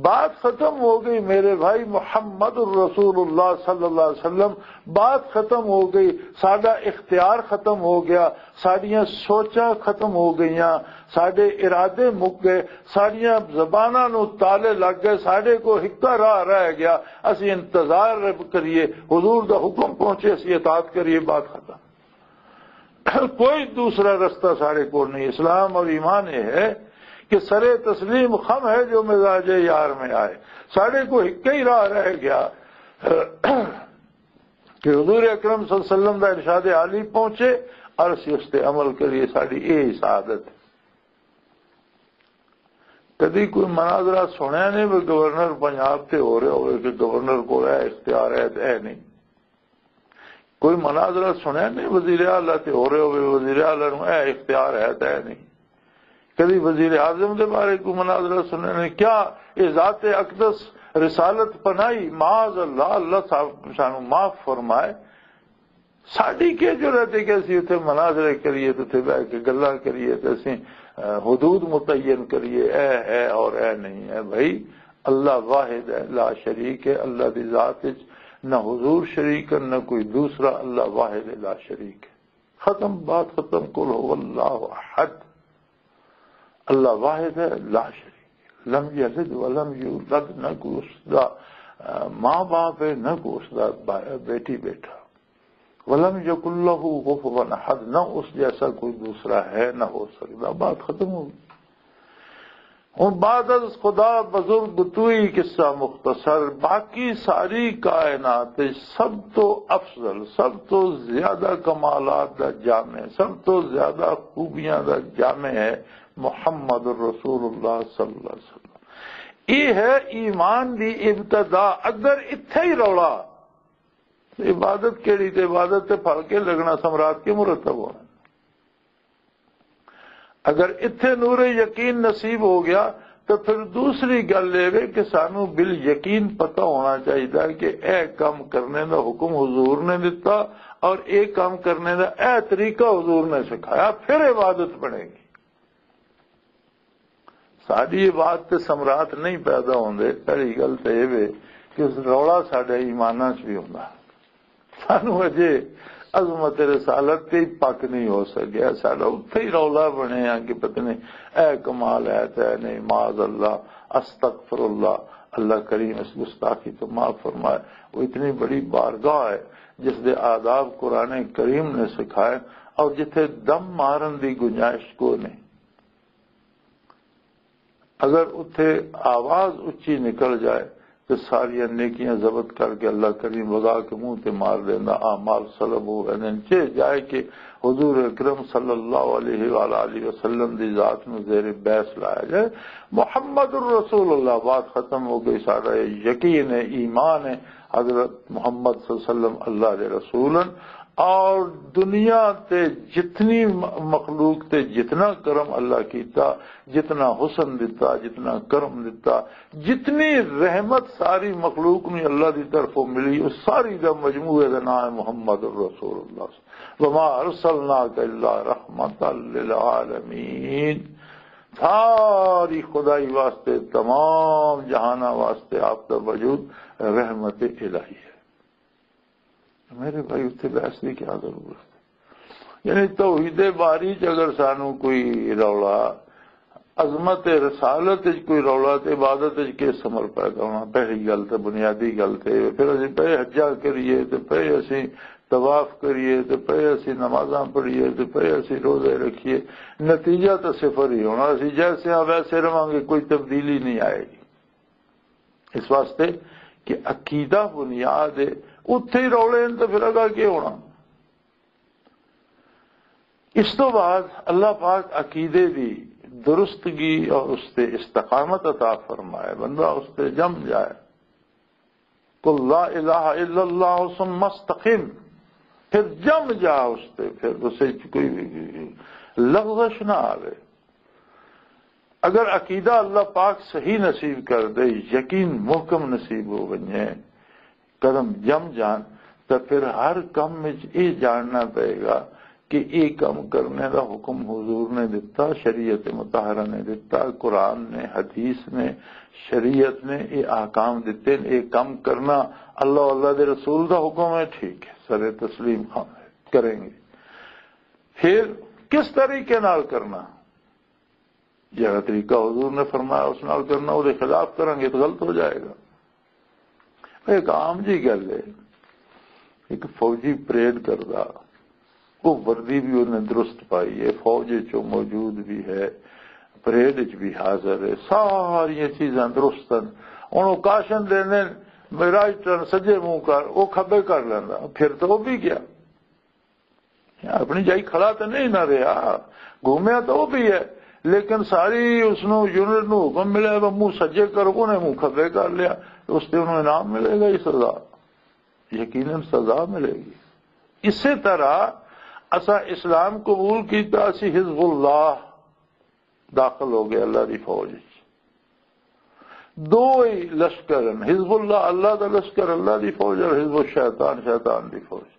بات ختم ہو گئی میرے بھائی، محمد الرسول اللہ صلی اللہ علیہ وسلم، بات ختم ہو گئی، ساڈا اختیار ختم ہو گیا، ساڈیاں سوچاں ختم ہو گئیاں، ساڈے ارادے مک گئے، ساڈیاں زباناں نوں تالے لگ گئے، ساڈے کو ہکا راہ رہ گیا۔ اسی انتظار کریے، حضور دا حکم پہنچے، اسی اطاعت کریے، بات ختم۔ کوئی دوسرا رستہ ساڈے کو نہیں۔ اسلام اور ایمان یہ ہے کہ سر تسلیم خم ہے جو مزاج یار میں آئے۔ ساڈے کو ہکا ہی راہ رہ گیا کہ حضور اکرم صلی اللہ علیہ وسلم دا ارشاد عالی پہنچے اور اسی اس تے عمل کریے، ساڈی یہ سعادت ہے۔ کدی کوئی مناظرہ سنیا نہیں بھی گورنر پنجاب تے ہو رہا ہوئے کہ گورنر کو اے اختیار ہے تے اے نہیں۔ کوئی مناظرہ سنیا نہیں وزیر اعلیٰ تے ہو رہے ہوئے وزیر اعلیٰ نوں اے اختیار ہے تے اے نہیں۔ کدی وزیر اعظم دے بارے کوئی مناظرہ سنیا نہیں؟ کیا یہ ذات اقدس رسالت پناہی؟ معاذ اللہ، اللہ صاحب سانو معاف فرمائے۔ ساڈی کی جرات ہے کہ اسی اتھے مناظرے کریے تے اتھے بیٹھ کے گلاں کریے تے اسی، اہ، حدود متعین کریے، اے ہے اور اے نہیں ہے؟ بھائی، اللہ واحد ہے، لا شریک ہے۔ اللہ دی ذات وچ نہ حضور شریک ہے، نہ کوئی دوسرا، اللہ واحد ہے، لا شریک ہے۔ ختم، بات ختم۔ قل هو اللہ احد، اللہ واحد ہے، لا شریک ہے۔ لم یلد ولم یولد، نہ کوئی اس دا، آ، ماں باپ ہے، نہ کوئی اس دا با-، بیٹی بیٹا۔ ولم یکن لہ کفوا احد، نہ اس جیسا کوئی دوسرا ہے، نہ ہو سکتا۔ بات ختم ہو گئی۔ ہن بعد از خدا بزرگ توئی قصہ مختصر، باقی ساری کائنات وچ سب تو افضل، سب تو زیادہ کمالات دا جامع، سب تو زیادہ خوبیاں دا جامع ہے محمد رسول اللہ صلی اللہ علیہ وسلم۔ یہ ہے ایمان دی ابتدا۔ اگر اتھے ہی رولا، عبادت کیڑی؟ تے عبادت تے پھل کے لگنا، ثمرات کے مرتب ہونا۔ اگر اتھے نور یقین نصیب ہو گیا، تو پھر دوسری گل یہ وے کہ سانو بال یقین پتہ ہونا چاہیے کہ اے کام کرنے دا حکم حضور نے دتا اور اے کام کرنے دا اے طریقہ حضور نے سکھایا، پھر عبادت بنے گی۔ ساڈی یہ بات تے سمراٹ نہیں پیدا ہوندے۔ پہلی گل تے یہ وے کہ رولا ساڈے ایماناں چ بھی ہوندا۔ سانو اجے عظمت رسالت تے ہی پک نہیں ہو سکیا۔ ساڈا اتھے ہی رولا بنے آ کہ پتہ نہیں اے کمال ہے تے نہیں، معاذ اللہ، استغفر اللہ۔ اللہ کریم اس گستاخی تو معاف فرمائے۔ وہ اتنی بڑی بارگاہ ہے جس دے آداب قرآن کریم نے سکھائے، اور جتھے دم مارن دی گنجائش کو نہیں۔ اگر اتھے آواز اچی نکل جائے تو ساریاں نیکیاں ضبط کر کے اللہ کریم وگا کے منہ تے مار دیندا، اعمال سلب ہو ویندے نے۔ چے جائے کہ حضور اکرم صلی اللہ علیہ وآلہ وسلم دی ذات نو زیر بحث لایا جائے۔ محمد الرسول اللہ، بات ختم ہو گئی۔ سارا یقین ہے، ایمان ہے، حضرت محمد صلی اللہ علیہ وسلم اللہ دے رسول ہیں۔ اور دنیا تے جتنی م-، مخلوق تے جتنا کرم اللہ کیتا، جتنا حسن دتا، جتنا کرم دتا، جتنی رحمت ساری مخلوق نوں اللہ دی طرفوں ملی، اس ساری دا مجموعے دا نام ہے محمد رسول اللہ۔ وما ارسلناک الا رحمتا للعالمین۔ ساری خدائی واسطے، تمام جہاناں واسطے آپ دا وجود رحمت الہی ہے۔ میرے بھائی، اتنے بحث کی کیا ضرورت ہے؟ یعنی توحید باری چ اگر سانو کوئی رولا، عظمت رسالت چ کوئی رولا، تے عبادت چ کس عمل پیدا ہونا؟ پہلی گل تے، بنیادی گل تے، پھر اسی پے حجا کریے، تے پے اسی طواف کریے، تے پے اسی نمازاں پڑھیے، تے پے اسی روزے رکھیے، نتیجہ تو صفر ہی ہونا۔ اسی جیسے ہاں ویسے رہواں گے، کوئی تبدیلی نہیں آئے گی۔ اس واسطے کہ عقیدہ بنیاد ہے، اتھے ہی رولے ہیں تو پھر اگا کی ہونا؟ اس تو بعد اللہ پاک عقیدے دی درستگی اور اس تے استقامت عطا فرمائے، بندہ اس تے جم جائے۔ قل لا الہ الا اللہ ثم استقم، پھر جم جا اس تے، پھر اسے کوئی لغزش نہ آوے۔ اگر عقیدہ اللہ پاک صحیح نصیب کر دے، یقین محکم نصیب ہو ونجے، قدم جم جان، تو پھر ہر کم وچ یہ جاننا پئے گا کہ یہ کم کرنے دا حکم حضور نے دتا، شریعت مطہرہ نے دتا، قرآن نے، حدیث نے، شریعت نے یہ احکام دتے ہیں، یہ کم کرنا اللہ، اللہ دے رسول دا حکم ہے، ٹھیک ہے، سر تسلیم خان ہے، کریں گے۔ پھر کس طریقے نال کرنا؟ جہڑا طریقہ حضور نے فرمایا، اس نال کرنا، وہ خلاف کریں گے تو غلط ہو جائے گا۔ ایک عام جی گل ہے، ایک فوجی پریڈ کردا، وہ وردی بھی انہیں درست پائی ہے، فوج وچ وہ موجود بھی ہے، پریڈ وچ بھی حاضر ہے، ساری چیزاں درست ہیں۔ ہن وہ کاشن دیندے، رائٹ ٹرن سجے منہ کر، وہ کھبے کر لیندا، پھر تو وہ بھی گیا۔ اپنی جائی کھڑا تو نہیں نہ رہا، گھومیا تو وہ بھی ہے، لیکن ساری اس نو یونٹ نو حکم ملیا، وہ منہ سجے کرو، انہیں منہ کھبے کر لیا، اس تے انہوں انعام ملے گا، یہ سزا، یقیناً سزا ملے گی۔ اسی طرح اسا اسلام قبول کیتا، اسی حزب اللہ داخل ہو گئے اللہ دی فوج وچ۔ دو ہی لشکر ہیں، حزب اللہ اللہ دا لشکر، اللہ دی فوج، اور حزب الشیطان شیطان دی فوج۔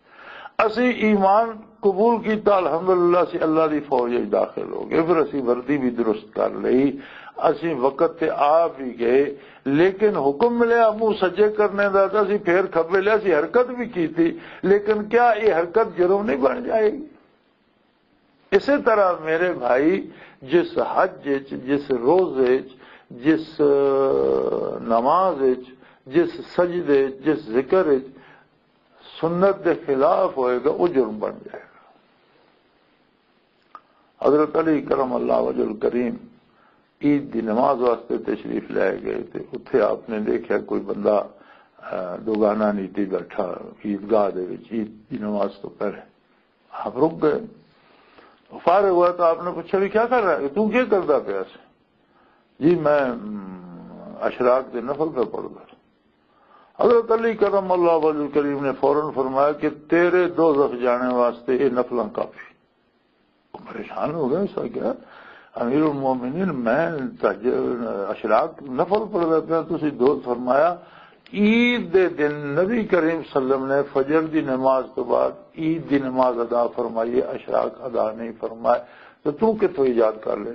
اسی ایمان قبول کیتا، الحمدللہ اسی اللہ دی فوج وچ داخل ہو گئے، پھر اسی وردی بھی درست کر لئی، اسی وقت تے آ بھی گئے، لیکن حکم ملیا منہ سجے کرنے دا، تے اسی پھر کھبے لیا، اسی حرکت بھی کیتی، لیکن کیا یہ حرکت جرم نہیں بن جائے گی؟ اسی طرح میرے بھائی، جس حج وچ، جس روزے وچ، جس، آ، نماز وچ، جس سجدے وچ، جس ذکر وچ سنت دے خلاف ہوئے گا، وہ جرم بن جائے گا۔ حضرت علی کرم اللہ وجہ الکریم عید دی نماز واسطے تشریف لے گئے، تے اتھے آپ نے دیکھا کوئی بندہ، آ، دوگانا نیتی بیٹھا عیدگاہ دے وچ عید دی نماز تو پہلے۔ آپ رک گئے۔ فارغ ہوا تو آپ نے پوچھا، "بھی کیا کر رہا ہے؟ تو کیا کردا پیا سی؟" "جی، میں، ام، اشراق دے نفل پہ پڑھدا۔" حضرت علی کرم اللہ وجہ کریم نے فوراً فرمایا کہ تیرے دوزخ جانے واسطے یہ نفلاں کافی۔ وہ پریشان ہو گئے، اس کا کیا؟ "امیر المومنین، میں تہجد، اشراق نفل پڑھدا پیا، تسی دو۔" فرمایا، عید دے دن نبی کریم صلی اللہ علیہ وسلم نے فجر دی نماز تو بعد عید دی نماز ادا فرمائی ہے، اشراق ادا نہیں فرمائے، تو تو کتوں ایجاد کر لے؟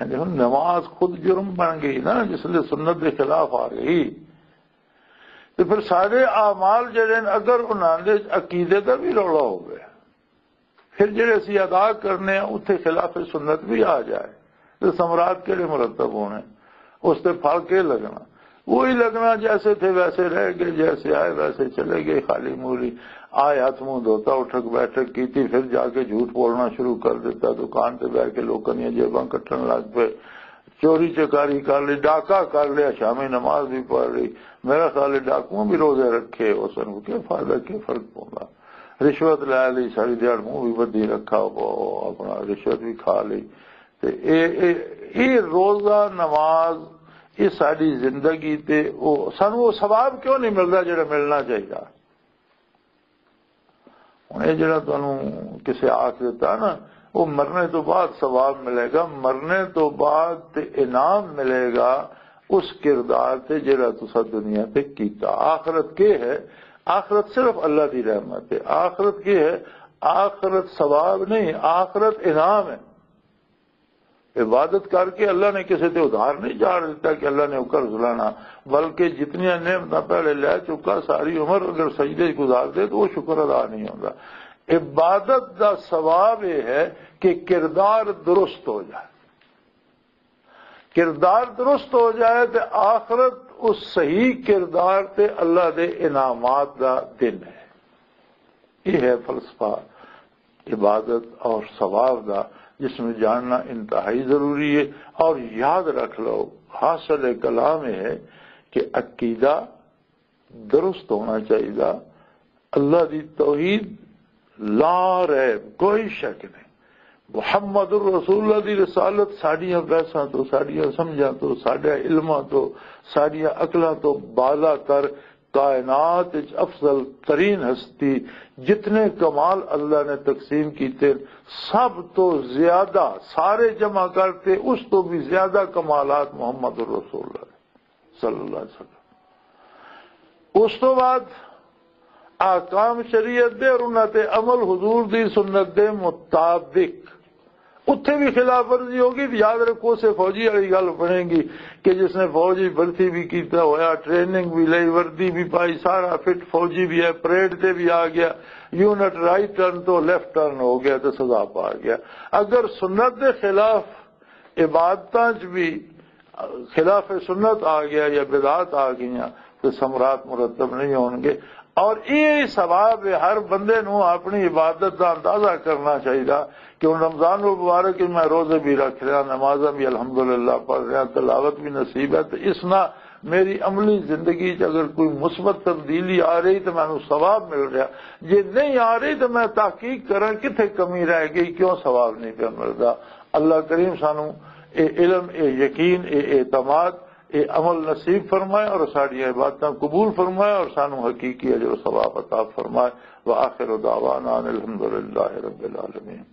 یعنی ہن نماز خود جرم بن گئی نا، جس لئے سنت دے خلاف آ گئی۔ تو پھر سارے اعمال جڑے نے، اگر انہاں دے عقیدے دا بھی رولا ہوئے، پھر جڑے اسی ادا کرنے ہیں، اتھے خلاف سنت بھی آ جائے، تو ثمرات کیڑے مرتب ہونے؟ اس تے پھل کے لگنا؟ وہی لگنا، جیسے تھے ویسے رہ گئے، جیسے آئے ویسے چلے گئے، خالی مولی آئے، ہاتھ منہ دھوتا، اٹھک بیٹھک کیتی، پھر جا کے جھوٹ بولنا شروع کر دیتا، دکان تے بیٹھ کے لوکاں دیاں جیباں کٹن لگ پے، چوری چکاری کر لی، ڈاکہ کر لیا، شامی نماز بھی پڑھ لی۔ میرا خیال ہے ڈاکو بھی روزے رکھے، اس نوں کیا فائدہ، کیا فرق پوندا؟ رشوت لے لی، ساری دیہاڑ منہ بھی بدھی رکھا، وہ اپنا رشوت بھی کھا لی۔ تے اے، اے، اے روزہ نماز، اے ساری زندگی تے او، سانوں او ثواب کیوں نہیں ملدا جڑا ملنا چاہیدا؟ ہن اے جڑا تانوں کسے آکھ دتا نا، وہ مرنے تو بعد ثواب ملے گا، مرنے تو بعد تے انعام ملے گا اس کردار تے جڑا تسا دنیا تے کیتا۔ آخرت کے ہے؟ آخرت صرف اللہ دی رحمت ہے۔ آخرت کے ہے؟ آخرت ثواب نہیں، آخرت انعام ہے۔ عبادت کر کے اللہ نے کسے تے ادھار نہیں چاڑ دیتا کہ اللہ نے وہ قرض لانا، بلکہ جتنیاں نعمتاں پہلے لے چکا، ساری عمر اگر سجدے چ گزار دے تو وہ شکر ادا نہیں ہوتا۔ عبادت دا ثواب یہ ہے کہ کردار درست ہو جائے۔ کردار درست ہو جائے تے آخرت اس صحیح کردار تے اللہ دے انعامات دا دن ہے۔ یہ ہے فلسفہ عبادت اور ثواب دا، جس میں جاننا انتہائی ضروری ہے۔ اور یاد رکھ لو، حاصل کلام یہ ہے کہ عقیدہ درست ہونا چاہیے، اللہ دی توحید لا ریب، کوئی شک نہیں۔ محمد الرسول اللہ دی رسالت ساڈیاں بحثاں تو، ساڈیاں سمجھاں تو، ساڈے علماں تو، ساڈیاں عقلاں تو بالا تر، کائنات وچ افضل ترین ہستی، جتنے کمال اللہ نے تقسیم کیتے، سب تو زیادہ سارے جمع کرتے، اس تو بھی زیادہ کمالات محمد الرسول اللہ صلی اللہ علیہ وسلم۔ اس تو بعد احکام شریعت دے اور انہاں تے عمل حضور دی سنت دے مطابق۔ اتھے بھی خلاف ورزی ہوگی تو یاد رکھو، اسے فوجی والی گل بنے گی کہ جس نے فوجی بھرتی بھی کیتا ہویا، ٹریننگ بھی لئی، وردی بھی پائی، سارا فٹ فوجی بھی ہے، پریڈ تے بھی آ گیا، یونٹ رائٹ ٹرن تو لیفٹ ٹرن ہو گیا تو سزا پا گیا۔ اگر سنت دے خلاف عبادتاں چ بھی خلاف سنت آ گیا یا بدعات آ گئیاں تو ثمرات مرتب نہیں ہون گے۔ اور یہ ثواب ہے، ہر بندے نو اپنی عبادت دا اندازہ کرنا چاہیے کہ ہن رمضان المبارک میں روزے بھی رکھ رہا، نمازاں بھی الحمدللہ پڑھ رہا، تلاوت بھی نصیب ہے، تو اس نہ میری عملی زندگی چ اگر کوئی مثبت تبدیلی آ رہی تو مینوں ثواب مل رہا، جے نہیں آ رہی تو میں تحقیق کراں کتھے کمی رہ گئی، کیوں ثواب نہیں پیا ملدا۔ اللہ کریم سانوں اے علم، اے یقین، اے اعتماد، اے عمل نصیب فرمائے اور ساڈیاں عبادتاں قبول فرمائے اور سانوں حقیقی اجر و ثواب عطا فرمائے۔ وآخر دعوانا ان الحمدللہ رب العالمین۔